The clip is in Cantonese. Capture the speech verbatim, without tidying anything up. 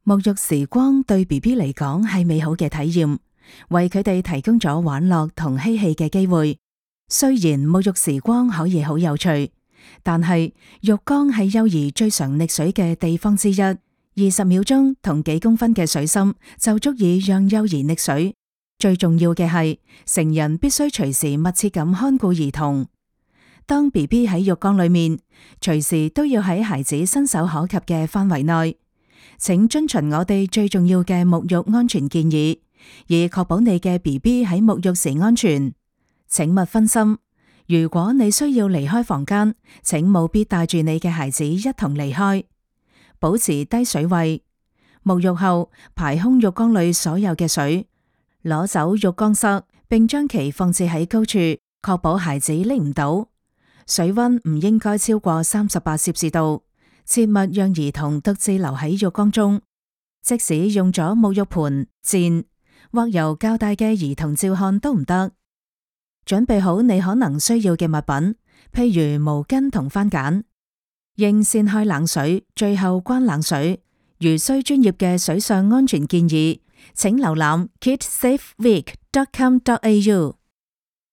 沐浴時光對 B B 嚟講係美好嘅體驗，為佢哋提供咗玩樂同嬉戲嘅機會。雖然沐浴時光可以好有趣，但係浴缸係幼兒最常溺水嘅地方之一。二十秒鐘同幾公分嘅水深就足以讓幼兒溺水。最重要嘅係，成人必須隨時密切咁看顧兒童。當 B B 喺浴缸裏面，隨時都要喺孩子伸手可及嘅範圍內。請遵循我哋最重要嘅沐浴安全建議，以確保你嘅 B B 喺沐浴時安全。請勿分心。如果你需要離開房間，請務必帶住你嘅孩子一同離開。保持低水位。沐浴後排空浴缸裏所有嘅水，攞走浴缸塞，並將其放置喺高處，確保孩子拎唔到。水溫唔應該超過三十八攝氏度。切勿讓兒童獨自留喺浴缸中，即使用咗沐浴盆、墊或由較大嘅兒童照看都唔得。準備好你可能需要嘅物品，譬如毛巾同番梘。應先開冷水，最後關冷水。如需專業嘅水上安全建議，請瀏覽 kidsafeweek dot com dot a u。